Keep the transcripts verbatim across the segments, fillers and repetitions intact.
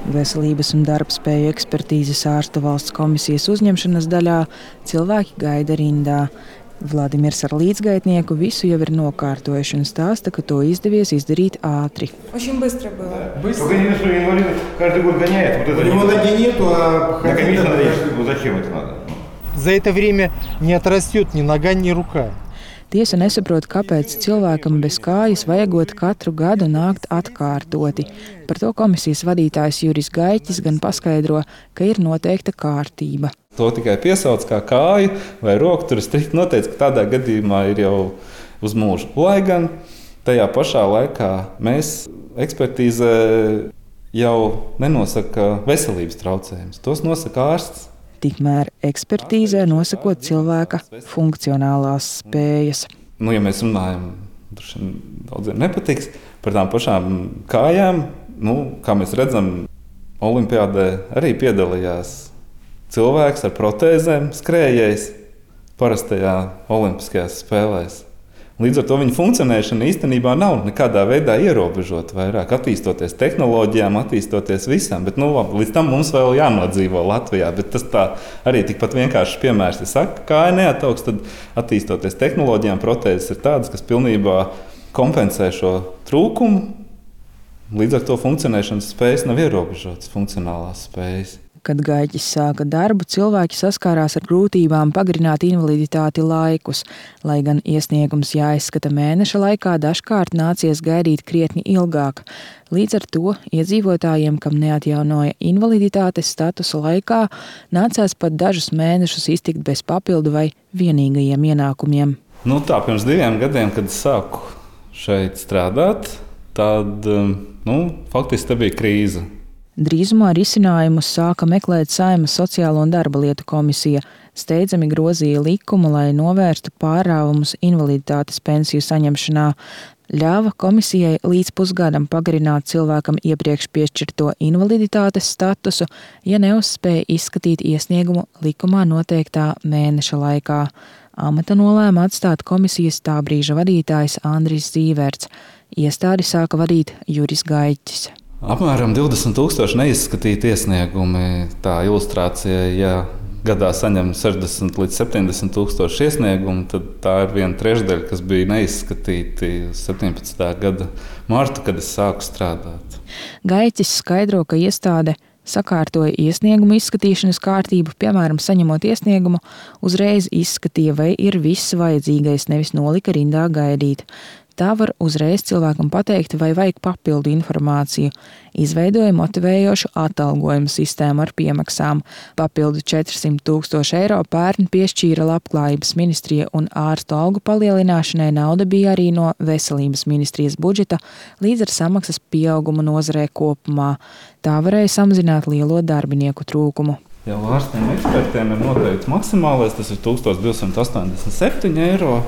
Veselības un darbspēju ekspertīzes ārstu valsts komisijas uzņemšanas daļā cilvēki gaida rindā. Vladimirs ar līdzgaitnieku visu jau ir nokārtojuši un stāsta, ka to izdevies izdarīt ātri. Очень быстро было. Быстро? Только не что инвалид каждый год гоняет. Вот это У него ноги нету, а на комиссии надо ехать. Зачем это надо? За это время не отрастет ни нога, ни рука. Tiesa nesaprot, kāpēc cilvēkam bez kājas vajagot katru gadu nākt atkārtoti. Par to komisijas vadītājs Juris Gaiķis gan paskaidro, ka ir noteikta kārtība. To tikai piesauc kā kāju vai roku, tur ir strikti noteikts, ka tādā gadījumā ir jau uz mūžu. Lai gan tajā pašā laikā mēs ekspertīzē jau nenosaka veselības traucējumus. Tos nosaka ārsts. Tikmēr ekspertīzē nosakot cilvēka funkcionālās spējas. Nu, ja mēs runājam, daudziem nepatiks, par tām pašām kājām, nu, kā mēs redzam, olimpiādē arī piedalījās cilvēks ar protēzēm, skrējējs parastajā olimpiskajās spēlēs. Līdz ar to viņa funkcionēšana īstenībā nav nekādā veidā ierobežota, vairāk attīstoties tehnoloģijām, attīstoties visam. Bet, nu, labi, līdz tam mums vēl jānodzīvo Latvijā. Bet tas tā arī tikpat vienkāršs piemērs. Ja saka, kāja neataugs, tad attīstoties tehnoloģijām, protēzes ir tādas, kas pilnībā kompensē šo trūkumu. Līdz ar to funkcionēšanas spējas nav ierobežotas, funkcionālās spējas. Kad Gaiķis sāka darbu, cilvēki saskārās ar grūtībām pagarināt invaliditāti laikus. Lai gan iesniegums jāizskata mēneša laikā, dažkārt nācies gaidīt krietni ilgāk. Līdz ar to iedzīvotājiem, kam neatjaunoja invaliditātes statusa laikā, nācās pat dažus mēnešus iztikt bez papildu vai vienīgajiem ienākumiem. Nu tā, pirms diviem gadiem, kad sāku šeit strādāt, tad nu, faktiski tā bija krīze. Drīzumā risinājumus sāka meklēt Saeimas sociālo un darba lietu komisija. Steidzami grozīja likumu, lai novērstu pārāvumus invaliditātes pensiju saņemšanā. Ļāva komisijai līdz pusgadam pagarināt cilvēkam iepriekš piešķirto invaliditātes statusu, ja neuzspēja izskatīt iesniegumu likumā noteiktā mēneša laikā. Amata nolēma atstāt komisijas tā brīža vadītājs Andris Zīverts. Iestādi sāka vadīt Juris Gaiķis. Apmēram divdesmit tūkstoši neizskatīti iesniegumi. Tā ilustrācija, ja gadā saņem sešdesmit līdz septiņdesmit tūkstoši iesniegumu, tad tā ir viena trešdaļa, kas bija neizskatīti septiņpadsmitā gada martu, kad es sāku strādāt. Gaiķis skaidro, ka iestāde sakārtoja iesniegumu izskatīšanas kārtību, piemēram, saņemot iesniegumu, uzreiz izskatīja, vai ir viss vajadzīgais, nevis nolika rindā gaidīt. Tā var uzreiz cilvēkam pateikt, vai vajag papildu informāciju. Izveidoja motivējošu atalgojumu sistēmu ar piemaksām. Papildu četrsimt tūkstoši eiro pērn piešķīra Labklājības ministrija un ārstu algu palielināšanai nauda bija arī no Veselības ministrijas budžeta līdz ar samaksas pieaugumu nozarē kopumā. Tā varēja samazināt lielo darbinieku trūkumu. Jau ārstiem ekspertiem ir noteikts maksimālais, tas ir tūkstoš divsimt astoņdesmit septiņi eiro.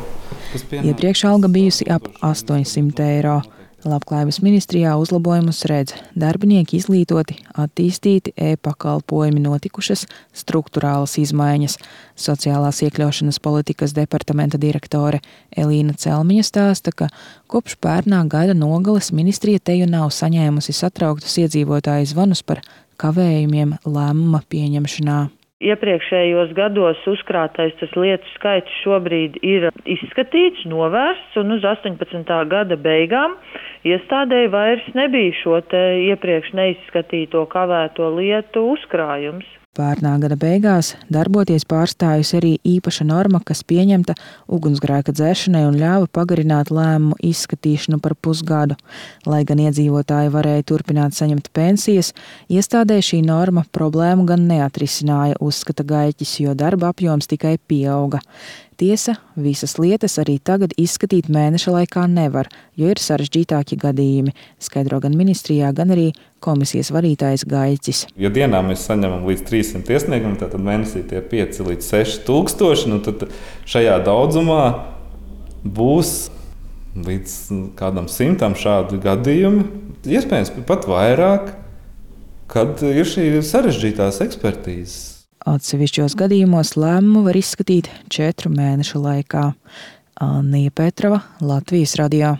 Iepriekš alga bijusi ap astoņsimt eiro. Labklājības ministrijā uzlabojumus redz. Darbinieki izglītoti, attīstīti, e-pakalpojumi notikušas, struktūrālas izmaiņas. Sociālās iekļaušanas politikas departamenta direktore Elīna Celmiņa stāsta, ka kopš pērnā gada nogales ministrija teju nav saņēmusi satrauktus iedzīvotāju zvanus par kavējumiem lēmuma pieņemšanā. Iepriekšējos gados uzkrātais tas lietu skaits šobrīd ir izskatīts, novērsts, un uz astoņpadsmitā gada beigām iestādēji vairs nebija šo te iepriekš neizskatīto kavēto lietu uzkrājums. Pērnā gada beigās darboties pārstājusi arī īpaša norma, kas pieņemta ugunsgrēka dzēšanai un ļāva pagarināt lēmumu izskatīšanu par pusgadu. Lai gan iedzīvotāji varēja turpināt saņemt pensijas, iestādē šī norma problēmu gan neatrisināja, uzskata Gaiķis, jo darba apjoms tikai pieauga. Tiesa, visas lietas arī tagad izskatīt mēneša laikā nevar, jo ir sarežģītāki gadījumi, skaidro gan ministrijā, gan arī komisijas vadītājs Gaiķis. Ja dienā mēs saņemam līdz trīssimt iesniegumu, tad mēnesī tie pieci līdz seši tūkstoši, nu tad šajā daudzumā būs līdz kādam simtam šādu gadījumu, iespējams pat vairāk, kad ir šī sarežģītās ekspertīzes. Atsevišķos gadījumos lēmumu var izskatīt četru mēnešu laikā. Anija Petrova, Latvijas radio.